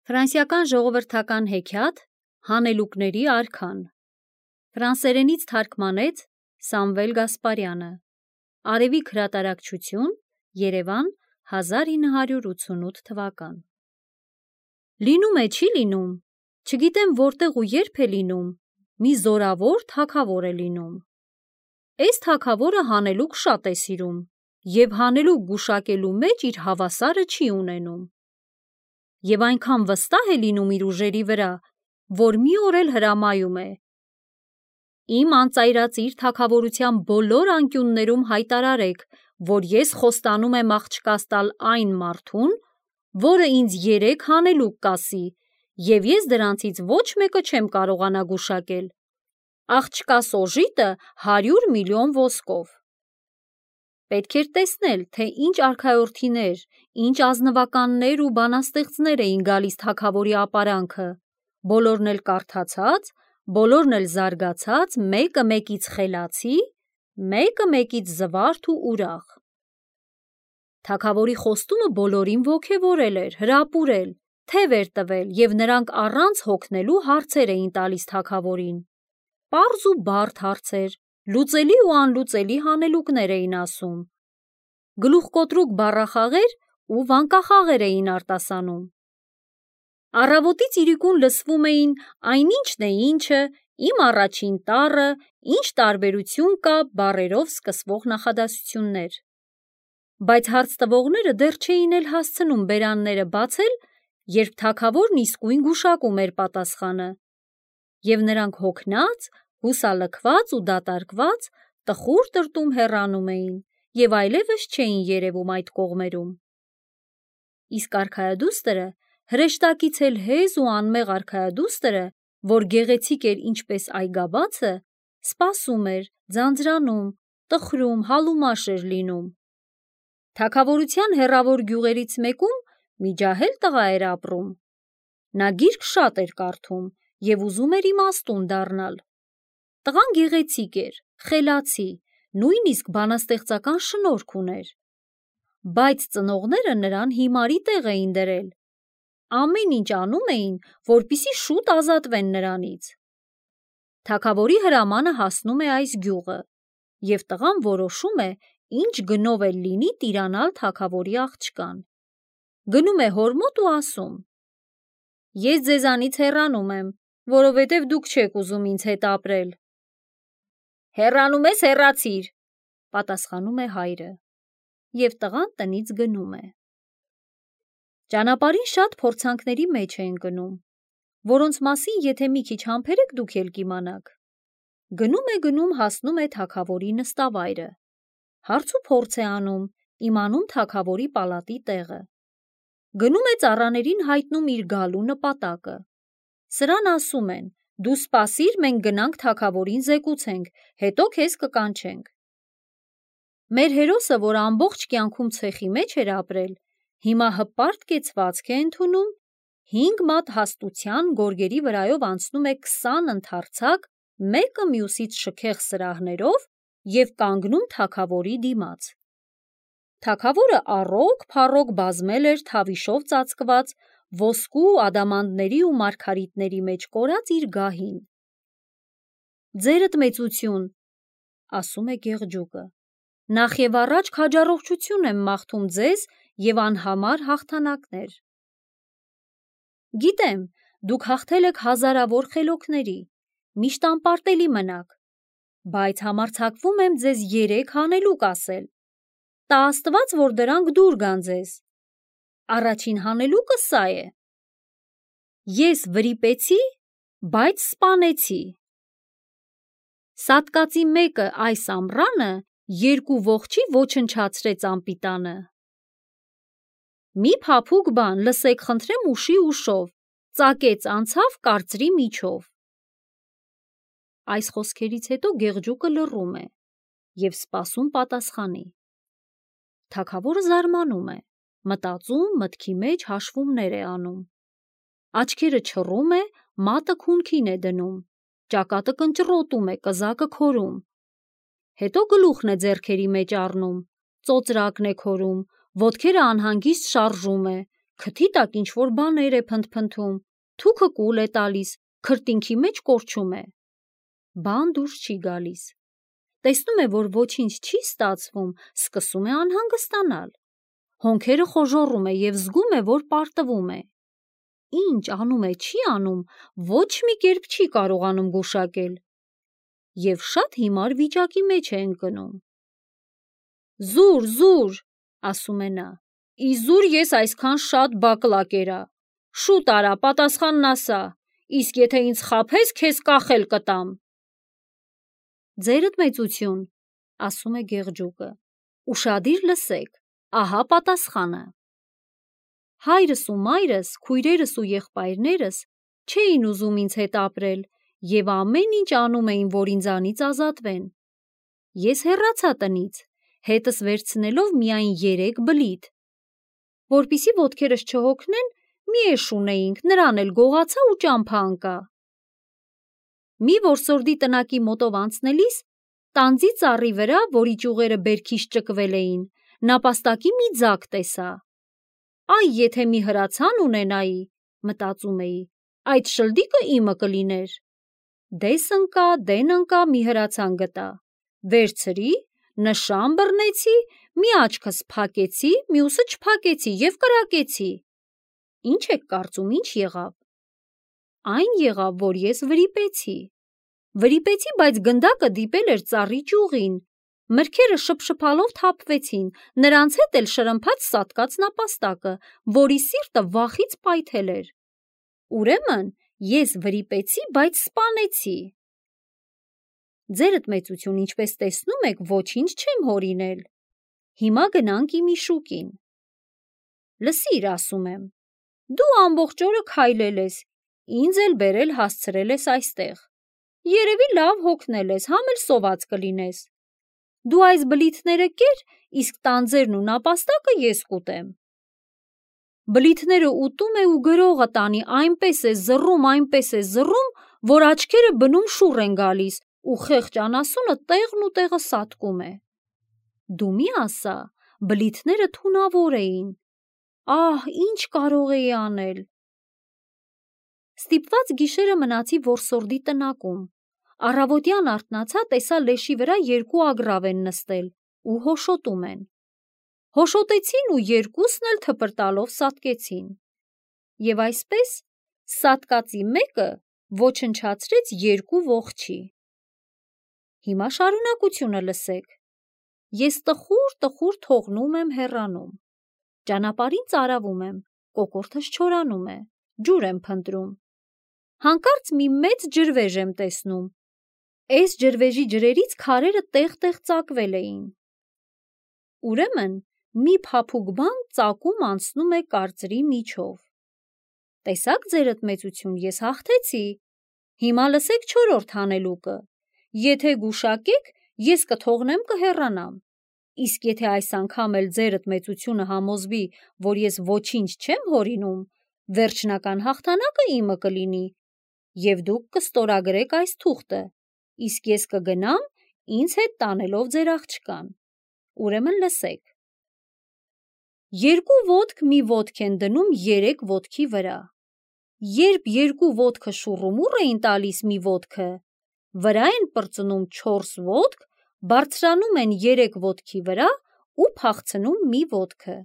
Ֆրանսիական ժողովրդական հեքիաթ Հանելուկների արքան ֆրանսերենից թարգմանեց Սամվել Գասպարյանը Արևիկ հրատարակչություն Երևան 1988 թվական Լինում է չի լինում չգիտեմ որտեղ ու երբ է լինում մի զորավոր թագավոր է լինում Էս թագավորը հանելուկ շատ է սիրում և հանելուկ գուշակելու մեջ իր հավասարը չի ունենում Եվ այնքան վստահ է լինում իր ուժերի վրա, որ մի օր էլ հրամայում է. Իմ անծայրածիր թագավորության բոլոր անկյուններում հայտարարեք, որ ես խոստանում եմ աղջկաս տալ այն մարդուն, որը ինձ 3 հանելուկ կասի, և ես դրանցից ոչ մեկը չեմ կարողանա գուշակել. աղջկաս օժիտը 100 միլիոն ոսկով։ Պետք էր տեսնել, թե ինչ արքայորդիներ, ինչ ազնվականներ ու բանաստեղծներ էին գալիս թագավորի ապարանքը, բոլորն էլ կարդացած, բոլորն էլ զարգացած, մեկը մեկից խելացի, մեկը մեկից զվարթ ու ուրախ։ Թագավորի խոստումը բոլորին ոգևորել էր, հրապուրել, թև էր տվել և նրանք առանց հոգնելու հարցեր էին տալիս թագավորին։ Պարզ ու բարդ հարցեր, լուծելի ու անլուծելի հանելուկներ էին ասում։ Գլուխկոտրուկ բառախաղեր ու վանկախաղեր էին արտասանում։ Առավոտից իրիկուն լսվում էին այնինչն է ինչը, իմ առաջին տառը, ինչ տարբերություն կա բառերով սկսվող նախադասություններ։ Բայց հարց տվողները դեռ չէին էլ հասցնում բերանները բացել, երբ թագավորն իսկույն գուշակում էր պատասխանը, և նրանք հոգնած, հուսալքված ու դատարկված տխուր տրտում հեռանում էին և այլևս չէին երևում այդ կողմերում։ Իսկ արքայադուստրը, հրեշտակից էլ հեզ ու անմեղ արքայադուստրը, որ գեղեցիկ էր ինչպես այգաբացը, սպասում էր, ձանձրանում, տխրում, հալումաշ էր լինում։ Թագավորության հեռավոր գյուղերից մեկում մի ջահել տղա էր ապրում։ Նա գիրք շատ էր կարդում և ուզում էր իմաստուն դառնալ։ Տղան գեղեցիկ էր, խելացի, նույնիսկ բանաստեղծական շնորհք ուներ։ Բայց ծնողները նրան հիմարի տեղ էին դրել։ Ամեն ինչ անում էին, որպեսզի շուտ ազատվեն նրանից։ Թագավորի հրամանը հասնում է այս գյուղը, և տղան որոշում է, ինչ գնով էլ լինի տիրանալ թագավորի աղջկան։ Գնում է հոր մոտ ու ասում. Ես ձեզանից հեռանում եմ, որովհետև դուք չեք ուզում ինձ հետ ապրել։ Հեռանում ես, հեռացիր, պատասխանում է հայրը, և տղան տնից գնում է։ Ճանապարհին շատ փորձանքների մեջ է ընկնում, որոնց մասին եթե մի քիչ համբերեք դուք էլ կիմանաք։ Գնում հասնում է թագավորի նստավայրը։ Հարց ու փորձ է անում, իմանում թագավորի պալատի տեղը։ Գնում է ծառաներին հայտնում իր գալու նպատակը։ Սրան ասում են. դու սպասիր, մենք գնանք թագավորին զեկուցենք, հետո քեզ կկանչենք։ Մեր հերոսը, որ ամբողջ կյանքում ցեխի մեջ էր ապրել, հիմա հպարտ կեցվածք է ընդունում, 5 մատ հաստության գորգերի վրայով անցնում է 20 ընդարձակ, մեկը մյուսից շքեղ սրահներով և կանգնում թագավորի դիմաց։ Թագավորը առոգ-փառոգ բազմել էր թավիշով ծածկված, ոսկու, ադամանդների ու մարգարիտների մեջ կորած իր գահին։ Ձերդ մեծություն, ասում է գեղջուկը, նախ և առաջ քաջառողջություն եմ մաղթում ձեզ և անհամար հաղթանակներ։ Գիտեմ, դուք հաղթել եք հազարավոր խելոքների, միշտ անպարտելի մնաք, բայց համարձակվում եմ ձեզ 3 հանելուկ ասել։ Տա Աստված, որ դրանք դուր գան ձեզ։ Առաջին հանելուկը սա է. ես վրիպեցի, բայց սպանեցի։ Սատկածի մեկը այս ամռանը 2 ողջի ոչնչացրեց անպիտանը։ Մի փափուկ բան, լսեք խնդրեմ ուշի ուշով, ծակեց անցավ կարծրի միջով։ Այս խոսքերից հետո գեղջուկը լռում է և սպասում պատասխանի։ Թագավորը զարմանում է, մտածում, մտքի մեջ հաշվումներ է անում։ Աչքերը չռում է, մատը քունքին է դնում, ճակատը կնճռոտում է, կզակը քորում։ Հետո գլուխն է ձեռքերի մեջ առնում, ծոծրակն է քորում, ոտքերը անհանգիստ շարժում է, Քթի տակ ինչ-որ բաներ է փնթփնթում, թուքը կուլ է տալիս, քրտինքի մեջ կորչում է։ Բան դուրս չի գալիս։ Տեսնում է, որ ոչինչ չի ստացվում, սկսում է անհանգստանալ։ Հոնքերը խոժոռում է և զգում է, որ պարտվում է։ Ինչ անում է, չի անում, ոչ մի կերպ չի կարողանում գուշակել։ Եվ շատ հիմար վիճակի մեջ է ընկնում։ Զուր, զուր, ասում է նա, իզուր ես այսքան շատ բակլա կերա։ Շուտ արա, պատասխանն ասա, իսկ եթե ինձ խաբես, քեզ կախել կտամ։ Ձերդ մեծություն, ասում է գեղջուկը, ուշադիր լսեք, ահա պատասխանը։ Հայրս ու մայրս, քույրերս ու եղբայրներս չէին ուզում ինձ հետ ապրել և ամեն ինչ անում էին, որ ինձանից ազատվեն։ Ես հեռացա տնից, հետս վերցնելով միայն 3 բլիթ։ Որպիսի ոտքերս չհոգնեն, մի էշ ունեինք, նրան էլ գողացա ու ճամփա ընկա։ Մի որսորդի տնակի մոտով անցնելիս, տանձի ծառի վրա, որի ճյուղերը բերքից ճկվել էին, նապաստակի մի ձագ տեսա։ Այ եթե մի հրացան ունենայի, մտածում էի, այդ շլդիկը իմը կլիներ։ Դես ընկա, մի հրացան գտա, վերցրի, նշան բռնեցի, մի աչքս փակեցի, մյուսը չփակեցի և կրակեցի։ Ինչ եք կարծում, ինչ եղավ։ Այն եղավ, որ ես վրիպեցի, բայց գնդակը դիպել էր ծառի ճյուղին, մրգերը շփշփալով թափվեցին, նրանց հետ էլ շրմփաց սատկած նապաստակը, որի սիրտը վախից պայթել էր։ Ուրեմն ես վրիպեցի, բայց սպանեցի։ Ձերդ մեծություն, ինչպես տեսնում եք, ոչինչ չեմ հորինել։ Հիմա գնանք իմ իշուկին։ Լսիր, ասում եմ, դու ամբողջ օրը քայլել ես, ինձ էլ բերել հասցրել ես այստեղ։ Երևի լավ հոգնել ես, համ էլ սոված կլինես։ Դու այս բլիթները կեր, իսկ տանձերն ու նապաստակը ես կուտեմ։ Բլիթները ուտում է ու գրողը տանի այնպես է զռում, որ աչքերը բնում շուռ են գալիս ու խեղճ անասունը տեղն ու տեղը սատկում է։ Դու մի ասա, բլիթները թունավոր էին։ Ահ, ինչ կարող էի անել։ Ստիպված գիշերը մնացի որսորդի տնակում։ Առավոտյան արթնացա, տեսա լեշի վրա 2 ագռավ են նստել ու հոշոտում են։ Հոշոտեցին ու երկուսն էլ թպրտալով սատկեցին։ Եվ այսպես սատկածի մեկը ոչնչացրեց 2 ողջի։ Հիմա շարունակությունը լսեք։ Ես տխուր թողնում եմ հեռանում։ Ճանապարհին ծարավում եմ, կոկորդս չորանում է, ջուր եմ փնտրում։ Հանկարծ մի մեծ ջրվեժ եմ տեսնում։ Էս ջրվեժի ջրերից քարերը տեղ-տեղ ծակվել էին։ Ուրեմն մի փափուկ բան ծակում անցնում է կարծրի միջով։ Տեսաք ձերդ մեծություն, ես հաղթեցի։ Հիմա լսեք 4-րդ հանելուկը։ Եթե գուշակեք, ես կթողնեմ կհեռանամ։ Իսկ եթե այս անգամ էլ ձերդ մեծությունը համոզվի, որ ես ոչինչ չեմ հորինում, վերջնական հաղթանակը իմը կլինի, և դուք կստորագրեք այս թուղթը, իսկ ես կգնամ, ինձ հետ տանելով ձեր աղջկան։ Ուրեմն լսեք։ 2 ոտք մի ոտք են դնում 3 ոտքի վրա։ Երբ 2 ոտքը շուռումուռ էին տալիս մի ոտքը, վրա են պրծնում 4 ոտք, բարձրանում են 3 ոտքի վրա ու փախցնում մի ոտքը։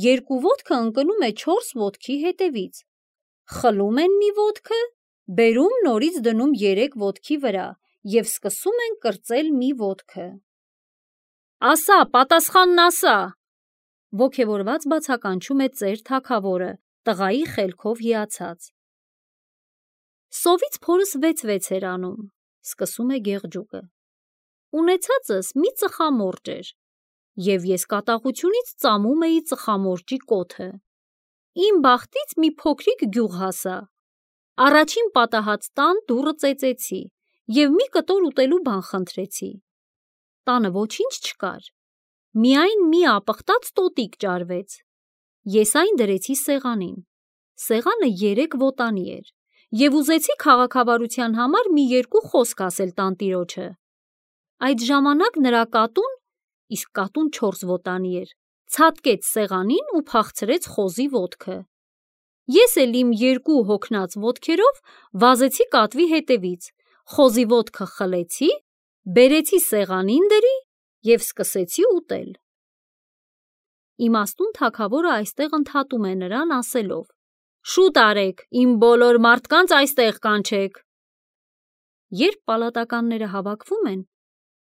2 ոտքը ընկնում է 4 ոտքի հետևից։ Խլում են մի ոտքը, բերում նորից դնում 3 ոտքի վրա և սկսում են կրծել մի ոտքը։ Ասա, պատասխանն ասա, ոգևորված բացականչում է ծեր թագավորը, տղայի խելքով հիացած։ Սովից փորս 6 էր անում, սկսում է գեղջուկը։ Ունեցածս մի ծխամորճ էր, և ես կատաղությունից ծամում էի ծխամորճի կոթը։ Իմ բախտից մի փոքրիկ գյուղ հասա։ Առաջին պատահած տան դուռը ծեծեցի և մի կտոր ուտելու բան խնդրեցի։ Տանը ոչինչ չկար, միայն մի ապխտած տոտիկ ճարվեց։ Ես այն դրեցի սեղանին։ Սեղանը 3 ոտանի էր, և ուզեցի քաղաքավարության համար մի 2 խոսք ասել տանտիրոջը։ Այդ ժամանակ նրա կատուն, իսկ կատուն 4 ոտանի էր, ցատկեց սեղանին ու փախցրեց խոզի ոտքը։ Ես էլ իմ երկու հոգնած ոտքերով վազեցի կատվի հետևից, խոզի ոտքը խլեցի, բերեցի սեղանին դրի և սկսեցի ուտել։ Իմաստուն թագավորը այստեղ ընդհատում է նրան ասելով. «Շուտ արեք, իմ բոլոր մարդկանց այստեղ կանչեք»։ Երբ պալատականները հավաքվում են,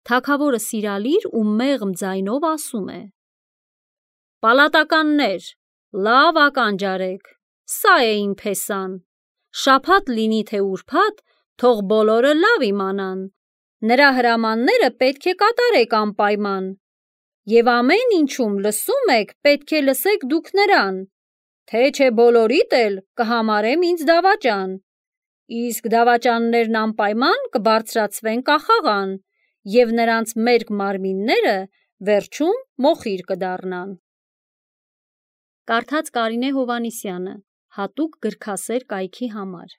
թագավորը սիրալիր ու մեղմ ձայնով ասում է. «Պալատականներ, լավ ականջ արեք, սա է իմ փեսան, շաբաթ լինի թե ուրբաթ, թող բոլորը լավ իմանան, նրա հրամանները պետք է կատարեք անպայման, և ամեն ինչում լսում եք, պետք է լսեք դուք նրան, թե չէ բոլորիդ էլ կհամարեմ ինձ դավաճան, իսկ դավաճաններն անպայման կբարձրացվեն կախաղան, և նրանց մերկ մարմինները վերջում մոխիր կդառնան»։ Կարդաց Կարինե Հովհաննիսյանը, հատուկ գրքասեր կայքի համար։